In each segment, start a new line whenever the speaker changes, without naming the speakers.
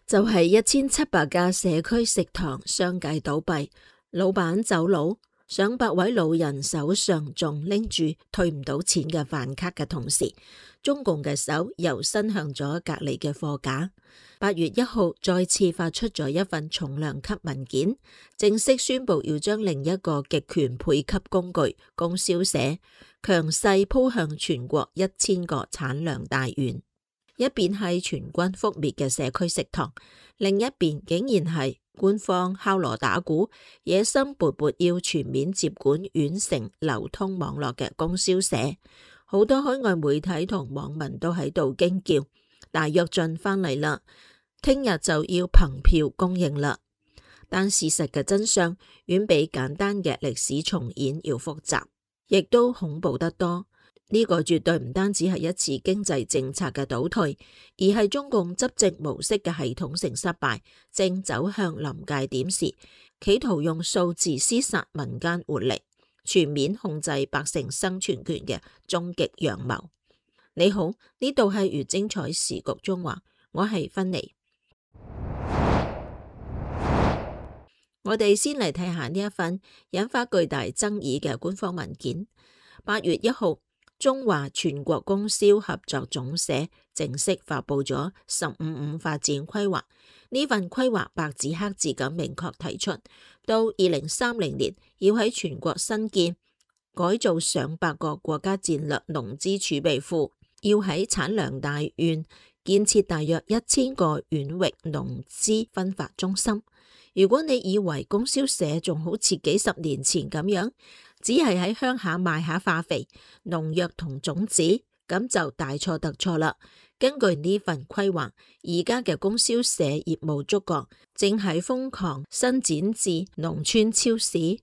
就係1700家社區食堂相繼倒閉，老闆走佬，上百位老人手上仲拎住退唔到錢嘅飯卡嘅同時，中共嘅手又伸向咗隔離嘅貨架。8月1號再次發出咗一份重量級文件，正式宣布要將另一個極權配給工具供銷社強勢鋪向全國1000個產糧大縣。一邊係全軍覆滅嘅社區食堂，另一邊竟然係官方敲鑼打鼓、野心勃勃要全面接管縣城流通網絡嘅供銷社。好多海外媒體同網民都喺度驚叫：大躍進翻嚟啦，聽日就要憑票供應啦。但事實嘅真相遠比簡單嘅歷史重演要複雜，亦都恐怖得多。呢個絕對唔單止係一次經濟政策嘅倒退，而係中共執政模式嘅系統性失敗，正走向臨界點時，企圖用數字廝殺民間活力，全面控制百姓生存權嘅終極陽謀。你好，呢度係粵精彩時局中華，我係芬妮。我哋先嚟睇下呢一份引發巨大爭議嘅官方文件。8月1號。中華全國供銷合作總社正式發佈咗15-5發展規劃。呢份規劃白紙黑字咁明確提出，到2030年要喺全國新建改造上百個國家戰略農資儲備庫，要喺產糧大縣建設大約1000個縣域農資分發中心。如果你以為供銷社仲好似幾十年前咁樣，只係喺鄉下賣下化肥、農藥同種子，咁就大錯特錯啦。根據呢份規劃，而家嘅供銷社業務觸角正喺瘋狂伸展至農村超市、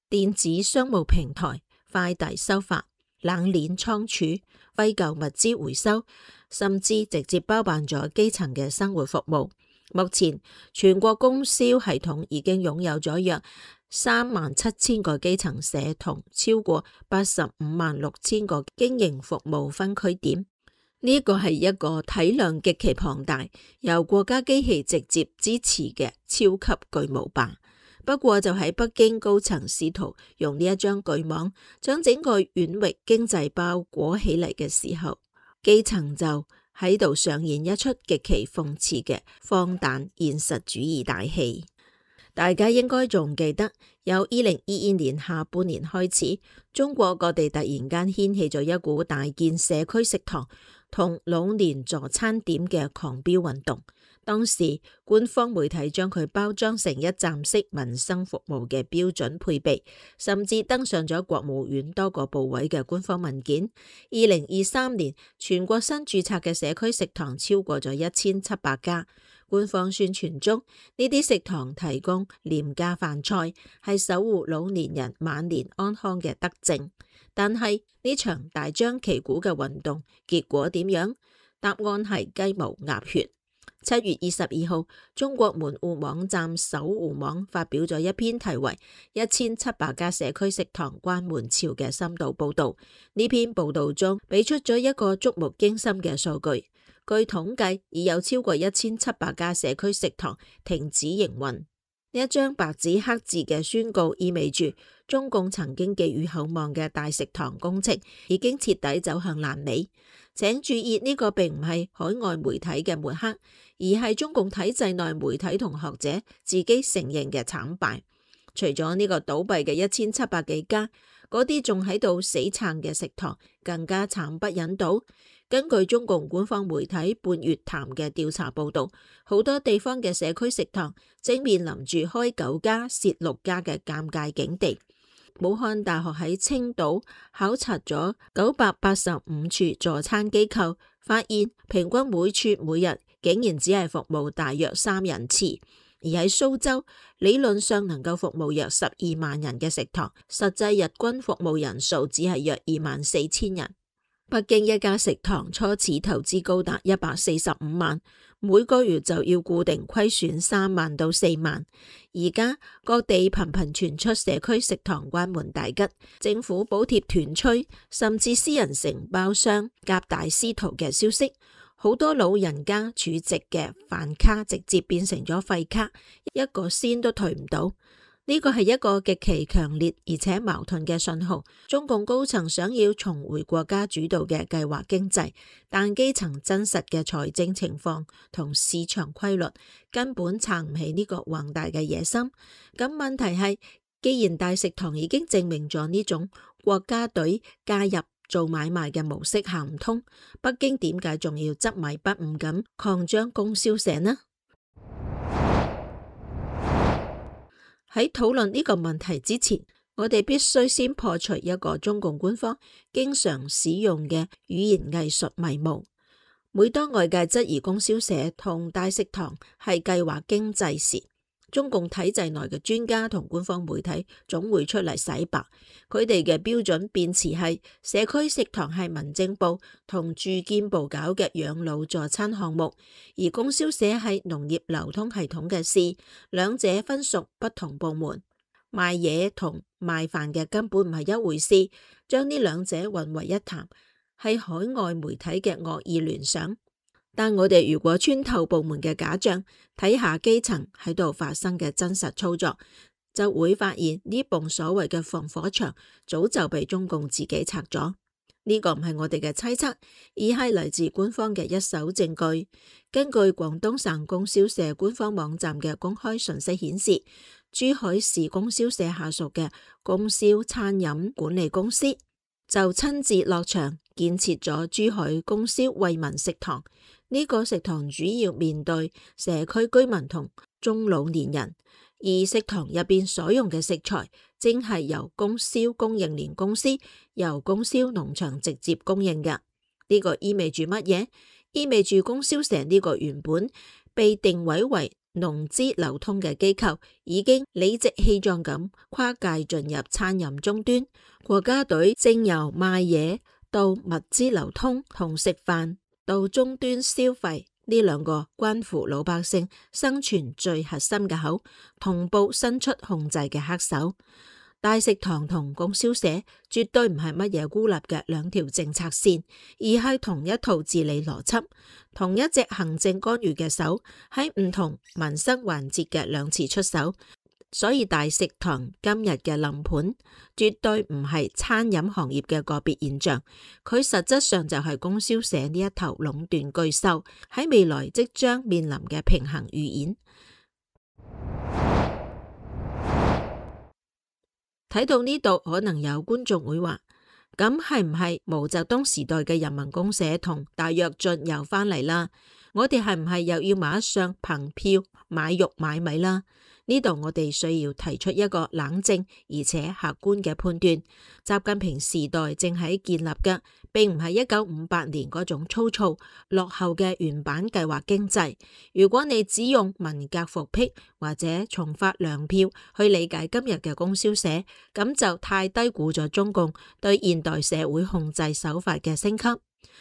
電子商務平台、快遞收發、冷鏈倉儲、廢舊物資回收，甚至直接包辦咗基層嘅生活服務。目前全國供銷系統已經擁有咗約37000個基層社同超過856000個經營服務分區點。呢個係一個體量極其龐大、由國家機器直接支持嘅超級巨無霸。不過就喺北京高層試圖用呢一張巨網將整個縣域經濟包裹起嚟嘅時候，基層就喺度上演一出極其諷刺嘅荒誕現實主義大戲。大家應該仲記得，由2022年下半年開始，中國各地突然間掀起咗一股大建社區食堂同老年助餐點嘅狂飆運動。當時官方媒體將佢包裝成一站式民生服務嘅標準配備，甚至登上咗國務院多個部委嘅官方文件。2023年全國新註冊嘅社區食堂超過咗1700家。官方宣傳中，呢啲食堂提供廉價飯菜，係守護老年人晚年安康嘅德政。但係呢場大張旗鼓嘅運動結果點樣？答案係雞毛鴨血。7月22號，中國門戶網站守護網發表咗一篇題為1700家社區食堂關門潮嘅深度報道。呢篇報道中俾出咗一個觸目驚心嘅數據，據統計已有超過1700家社區食堂停止營運。呢一張白紙黑字嘅宣告意味住中共曾經寄予厚望嘅大食堂工程已經徹底走向爛尾。請注意，呢個並唔係海外媒體嘅抹黑，而係中共體制內媒體同學者自己承認嘅慘敗。除咗呢個倒閉嘅1700幾家，嗰啲仲喺度死撐嘅食堂更加慘不忍睹。根據中共官方媒體半月談嘅調查報道，好多地方嘅社區食堂正面臨住開9家蝕6家嘅尷尬境地。武漢大學喺青島考察咗985處助餐機構，發現平均每處每日竟然只係服務大約3人次。而喺蘇州，理論上能夠服務約12萬人嘅食堂，實際日均服務人數只係約24000人。北京一家食堂初始投資高達145萬，每個月就要固定虧損3萬到4萬。而家各地頻頻傳出社區食堂關門大吉，政府補貼斷炊，甚至私人承包商夾大師徒嘅消息。好多老人家儲值嘅飯卡直接變成咗廢卡，一個仙都退唔到。呢個係一個極其強烈而且矛盾嘅信號。中共高層想要重回國家主導嘅計劃經濟，但基層真實嘅財政情況同市場規律根本撐唔起呢個宏大嘅野心。咁問題係，既然大食堂已經證明咗呢種國家隊介入做買賣嘅模式行唔通，北京點解仲要執迷不悟咁擴張供銷社呢？喺討論呢個問題之前，我哋必須先破除一個中共官方經常使用嘅語言藝術迷霧。每當外界質疑供銷社同大食堂係計劃經濟時，中共體制內嘅專家同官方媒體總會出嚟洗白。佢哋嘅標準辯詞係社區食堂係民政部同住建部搞嘅養老助餐項目，而供銷社係農業流通系統嘅事，兩者分屬不同部門。賣嘢同賣飯嘅根本唔係一回事，將呢兩者混為一談係海外媒體嘅惡意聯想。但我哋如果穿透部門嘅假象，睇下基層喺度發生嘅真實操作，就會發現呢棟所謂嘅防火牆早就被中共自己拆咗。呢個唔係我哋嘅猜測，而係嚟自官方嘅一手證據。根據廣東省供銷社官方網站嘅公開信息顯示，珠海市供銷社下屬嘅供銷餐飲管理公司就親自落場建設咗珠海供銷惠民食堂。呢個食堂主要面對社區居民同中老年人，而食堂入邊所用嘅食材正係由供銷供應鏈公司由供銷農場直接供應嘅。呢個意味住乜嘢？意味住供銷社呢個原本被定位為農資流通嘅機構，已經理直氣壯咁跨界進入餐飲終端。國家隊正由賣嘢到物資流通同食飯到終端消費呢兩個關乎老百姓生存最核心嘅口，同步伸出控制嘅黑手。大食堂同供銷社絕對唔係乜嘢孤立嘅兩條政策線，而係同一套治理邏輯，同一隻行政干預嘅手喺唔同民生環節嘅兩次出手。所以大食堂今日嘅臨盤絕對唔係餐飲行業嘅個別現象，佢實質上就係供銷社呢一頭壟斷巨獸喺未來即將面臨嘅平衡預演。睇到呢度，可能有觀眾會話，咁係唔係毛澤東時代嘅人民公社同大躍進又翻嚟啦？我哋係唔係又要馬上憑票買肉買米啦？呢度我哋需要提出一個冷靜而且客觀嘅判斷。習近平時代正喺建立嘅，並唔係1958年嗰種粗糙落後嘅原版計劃經濟。如果你只用文革復辟或者重發糧票去理解今日嘅供銷社，咁就太低估咗中共對現代社會控制手法嘅升級。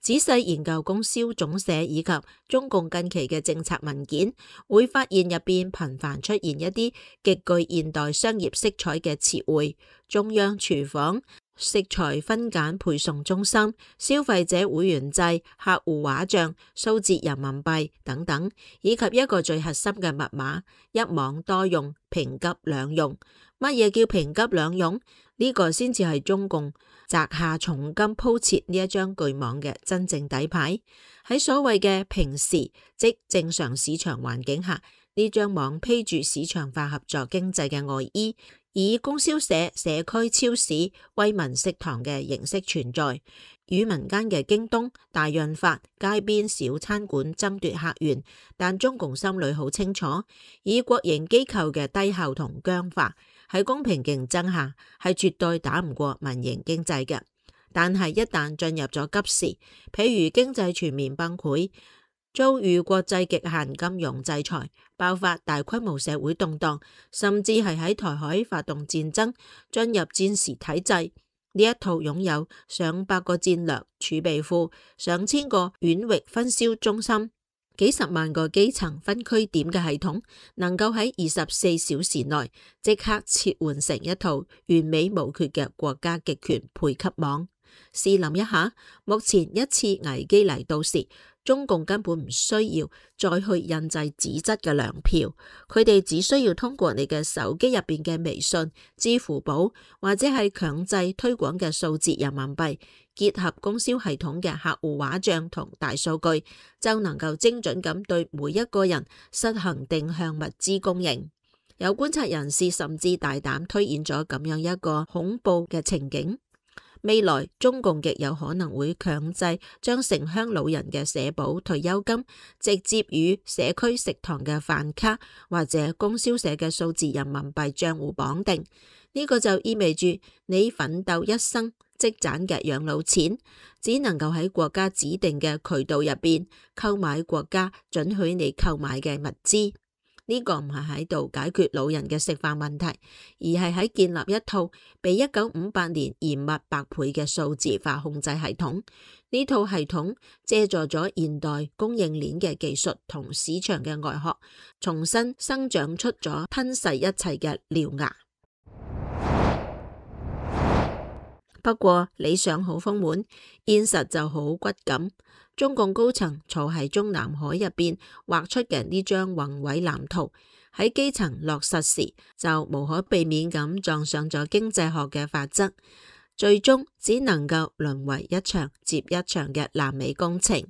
仔細研究供銷總社以及中共近期嘅政策文件，會發現入邊頻繁出現一啲極具現代商業色彩嘅詞彙，中央廚房、食材分揀配送中心、消費者會員制、客戶畫像、數字人民幣等等，以及一個最核心嘅密碼：一網多用、平急兩用。乜嘢叫平急兩用？呢個先至係中共擲下重金鋪設呢一張巨網嘅真正底牌。喺所謂嘅平時，即正常市場環境下，呢張網披住市場化合作經濟嘅外衣，以供銷社、社區超市、惠民食堂嘅形式存在，與民間嘅京東、大潤發、街邊小餐館爭奪客源。但中共心裏好清楚，以國營機構嘅低效同僵化，喺公平競爭下係絕對打唔過民營經濟嘅。但係一旦進入咗急時，譬如經濟全面崩潰，遭遇國際極限金融制裁，爆發大規模社會動盪，甚至係喺台海發動戰爭，進入戰時體制，呢一套擁有上百個戰略儲備庫、上千個縣域分銷中心、幾十萬個基層分區點嘅系統，能夠喺24小時內即刻切換成一套完美無缺嘅國家極權配給網。試諗一下，目前一次危機嚟到時，中共根本唔需要再去印製紙質嘅糧票，佢哋只需要通過你嘅手機入邊嘅微信、支付寶或者係強制推廣嘅數字人民幣，結合供銷系統嘅客戶畫像同大數據，就能夠精準咁對每一個人實行定向物資供應。有觀察人士甚至大膽推演咗咁樣一個恐怖嘅情景。未來中共極有可能會強制將城鄉老人嘅社保退休金直接與社區食堂嘅飯卡或者供銷社嘅數字人民幣賬戶綁定。呢個就意味住你奮鬥一生積攢嘅養老錢，只能夠喺國家指定嘅渠道入邊購買國家准許你購買嘅物資。呢個唔係喺度解決老人嘅食飯問題，而係喺建立一套比1958年嚴密百倍嘅數字化控制系統。呢套系統借助咗現代供應鏈嘅技術同市場嘅外殼，重新生長出咗吞噬一切嘅獠牙。不過理想好豐滿，現實就好骨感。中共高層坐喺中南海入邊畫出嘅呢張宏偉藍圖，喺基層落實時就無可避免咁撞上咗經濟學嘅法則，最終只能夠淪為一場接一場嘅爛尾工程。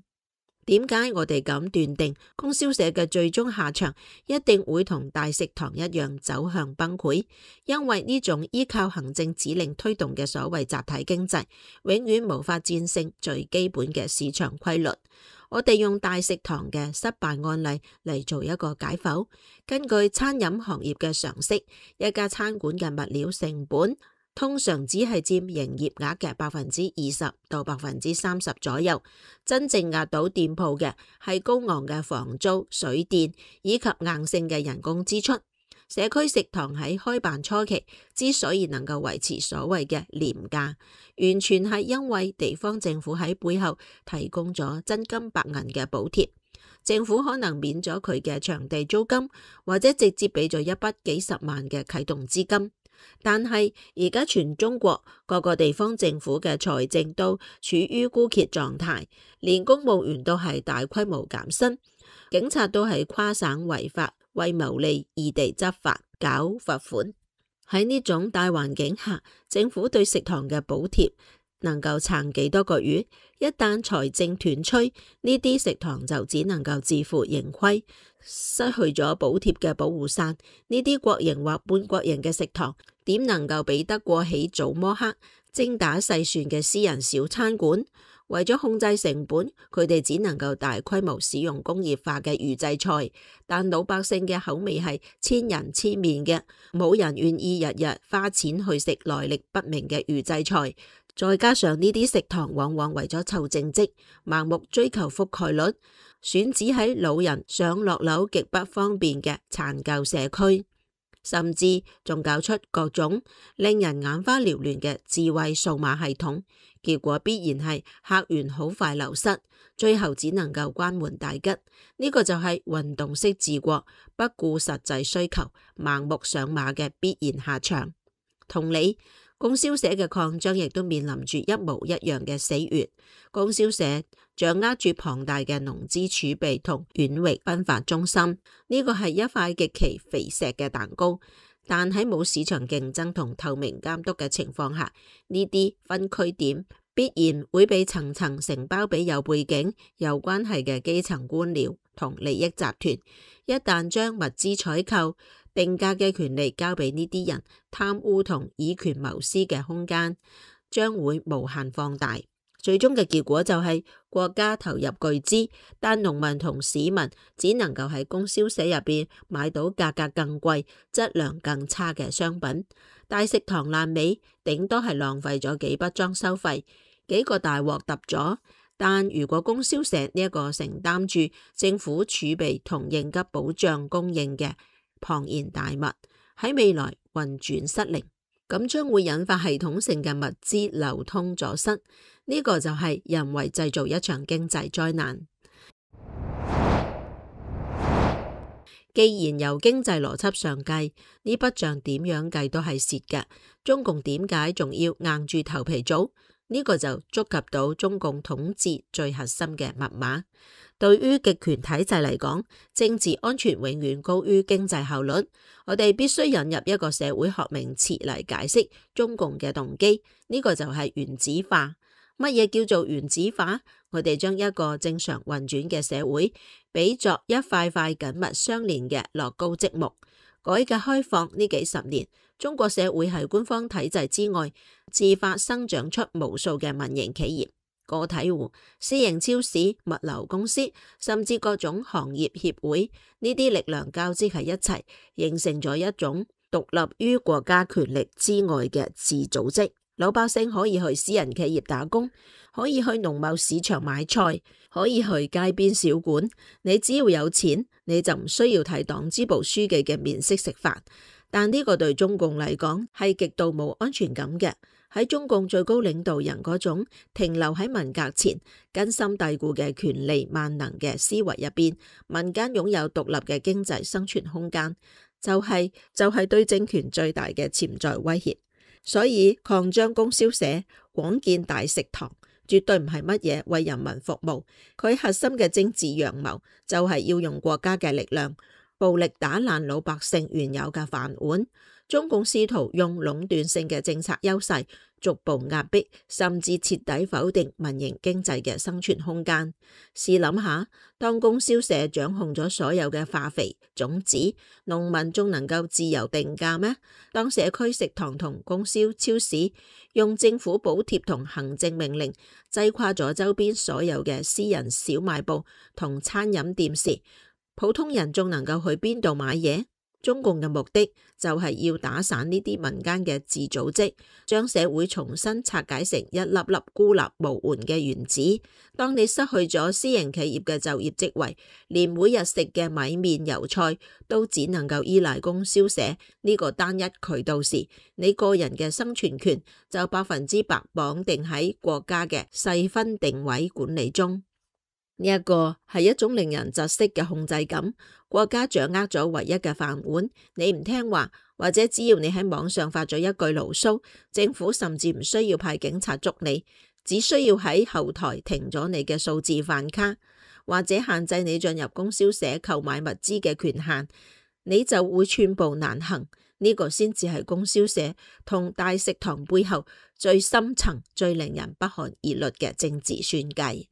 點解我哋咁斷定供銷社嘅最終下場一定會同大食堂一樣走向崩潰？因為呢種依靠行政指令推動嘅所謂集體經濟，永遠無法戰勝最基本嘅市場規律。我哋用大食堂嘅失敗案例嚟做一個解剖。根據餐飲行業嘅常識，一家餐館嘅物料成本通常只係佔營業額嘅20%到30%左右，真正壓倒店鋪嘅係高昂嘅房租、水電以及硬性嘅人工支出。社區食堂喺開辦初期之所以能夠維持所謂嘅廉價，完全係因為地方政府喺背後提供咗真金白銀嘅補貼。政府可能免咗佢嘅場地租金，或者直接俾咗一筆幾十萬嘅啟動資金。但係而家全中國各個地方政府嘅財政都處於枯竭狀態，連公務員都係大規模減薪，警察都係跨省違法為牟利異地執法搞罰款。喺呢種大環境下，政府對食堂嘅補貼能夠撐幾多個月？一旦財政斷炊，呢啲食堂就只能夠自負盈虧，失去咗補貼嘅保護傘。呢啲國營或半國營嘅食堂點能夠比得過起早摸黑、精打細算嘅私人小餐館？為咗控制成本，佢哋只能夠大規模使用工業化嘅預製菜，但老百姓嘅口味係千人千面嘅，冇人願意日日花錢去食來歷不明嘅預製菜。再加上呢啲食堂往往為咗湊政績，盲目追求覆蓋率，選址喺老人上落樓極不方便嘅殘舊社區，甚至仲搞出各種令人眼花繚亂嘅智慧數碼系統，結果必然係客源好快流失，最後只能夠關門大吉。呢個就係運動式治國，不顧實際需求，盲目上馬嘅必然下場。同理，供銷社嘅擴張亦都面臨住一模一樣嘅死穴。供銷社掌握住龐大嘅農資儲備同遠域分發中心，呢個係一塊極其肥碩嘅蛋糕。但喺冇市場競爭同透明監督嘅情況下，呢啲分區點必然會被層層承包俾有背景、有關係嘅基層官僚同利益集團。一旦將物資採購、定價嘅權利交俾呢啲人，貪污同以權謀私嘅空間將會無限放大。最終嘅結果就係國家投入巨資，但農民同市民只能夠喺供銷社入邊買到價格更貴、質量更差嘅商品。大食堂爛尾，頂多係浪費咗幾筆裝修費，幾個大鑊揼咗。但如果供銷社呢一個承擔住政府儲備同應急保障供應嘅龐然大物喺未來運轉失靈，咁將會引發系統性嘅物資流通阻塞。呢個就係人為製造一場經濟災難。既然由經濟邏輯上計，呢筆賬點樣計都係蝕嘅，中共點解仲要硬住頭皮做？呢個就觸及到中共統治最核心嘅密碼。對於極權體制嚟講，政治安全永遠高於經濟效率。我哋必須引入一個社會學名詞嚟解釋中共嘅動機，呢個就係原子化。乜嘢叫做原子化？我哋將一個正常運轉嘅社會比作一塊塊緊密相連嘅樂高積木。改革開放呢幾十年，中國社會喺官方體制之外，自發生長出無數嘅民營企業、個體戶、私營超市、物流公司，甚至各種行業協會，呢啲力量交織喺一齊，形成咗一種獨立於國家權力之外嘅自組織。老百姓可以去私人企業打工，可以去農貿市場買菜，可以去街邊小館。你只要有錢，你就唔需要睇黨支部書記嘅面色食飯。但呢個對中共嚟講係極度冇安全感嘅。喺中共最高領導人嗰種停留喺文革前根深蒂固嘅權力萬能嘅思維入邊，民間擁有獨立嘅經濟生存空間，就係對政權最大嘅潛在威脅。所以擴張供銷社、廣建大食堂，絕對唔係乜嘢為人民服務。佢核心嘅政治陽謀就係要用國家嘅力量，暴力打爛老百姓原有嘅飯碗。中共試圖用壟斷性嘅政策優勢，逐步壓迫甚至徹底否定民營經濟嘅生存空間。試諗下，當供銷社掌控咗所有嘅化肥、種子，農民仲能夠自由定價咩？當社區食堂同供銷超市用政府補貼同行政命令擠垮咗周邊所有嘅私人小賣部同餐飲店時，普通人仲能夠去邊度買嘢？中共嘅目的就係要打散呢啲民間嘅自組織，將社會重新拆解成一粒粒孤立無援嘅原子。當你失去咗私營企業嘅就業職位，連每日食嘅米麵油菜都只能夠依賴供銷社呢個單一渠道時，你個人嘅生存權就100%綁定喺國家嘅細分定位管理中。呢一個係一種令人窒息嘅控制感，國家掌握咗唯一嘅飯碗，你唔聽話，或者只要你喺網上發咗一句牢騷，政府甚至唔需要派警察捉你，只需要喺後台停咗你嘅數字飯卡，或者限制你進入供銷社購買物資嘅權限，你就會寸步難行。呢個先至係供銷社同大食堂背後最深層、最令人不寒而慄嘅政治算計。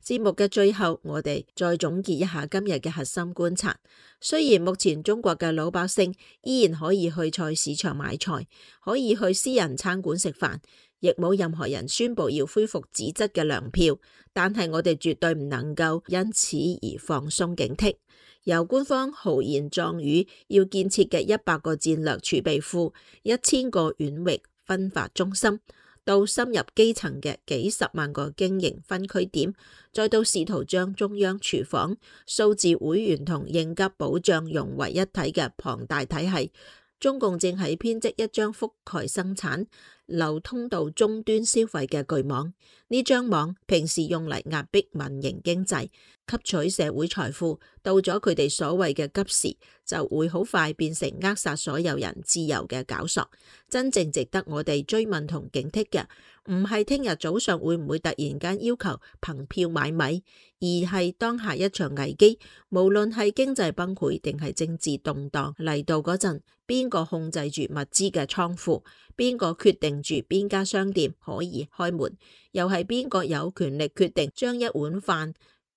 節目嘅最後，我哋再總結一下今日嘅核心觀察。雖然目前中國嘅老百姓依然可以去菜市場買菜，可以去私人餐館食飯，亦冇任何人宣布要恢復紙質嘅糧票，但係我哋絕對唔能夠因此而放鬆警惕。由官方豪言壯語要建設嘅100個戰略儲備庫、1000個縣域分發中心，到深入基層嘅幾十萬個經營分區點，再到試圖將中央廚房、數字會員同應急保障融為一體嘅龐大體系，中共正喺編織一張覆蓋生產、流通到終端消費嘅巨網。呢張網平時用嚟壓迫民營經濟、吸取社會財富，到咗佢哋所謂嘅急時，就會好快變成扼殺所有人自由嘅絞索。真正值得我哋追問同警惕嘅，唔係聽日早上會唔會突然間要求憑票買米，而係當下一場危機，無論係經濟崩潰定係政治動盪嚟到嗰陣，邊個控制住物資嘅倉庫，邊個決定住邊家商店可以開門，又係邊個有權力決定將一碗飯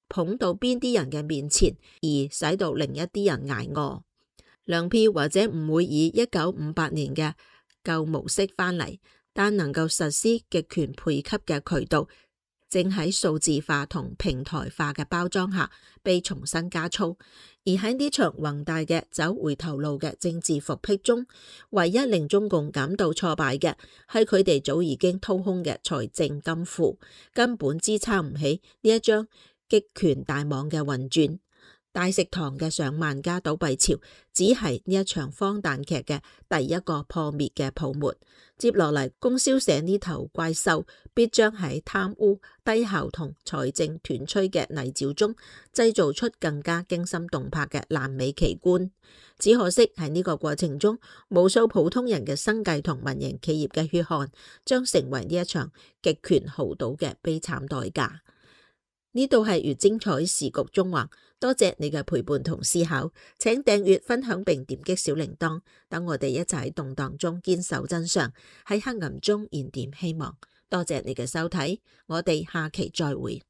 捧到邊啲人嘅面前，而使到另一啲人捱餓。糧票或者唔會以1958年嘅舊模式翻嚟，但能夠實施極權配給嘅渠道，正喺數字化同平台化嘅包裝下被重新加粗。而喺呢場宏大嘅走回頭路嘅政治復辟中，唯一令中共感到挫敗嘅係佢哋早已經掏空嘅財政金庫，根本支撐唔起呢一張極權大網嘅運轉。大食堂嘅上萬家倒閉潮，只係呢一場荒誕劇嘅第一個破滅嘅泡沫。接落嚟，供銷社呢頭怪獸必將喺貪污、低效同財政斷炊嘅泥沼中，製造出更加驚心動魄嘅爛尾奇觀。只可惜喺呢個過程中，無數普通人嘅生計同民營企業嘅血汗，將成為呢一場極權豪賭嘅悲慘代價。呢度係越精彩時局縱橫，多謝你嘅陪伴同思考，請訂閱、分享並點擊小鈴鐺，等我哋一齊喺動盪中堅守真相，喺黑暗中燃點希望。多謝你嘅收睇，我哋下期再會。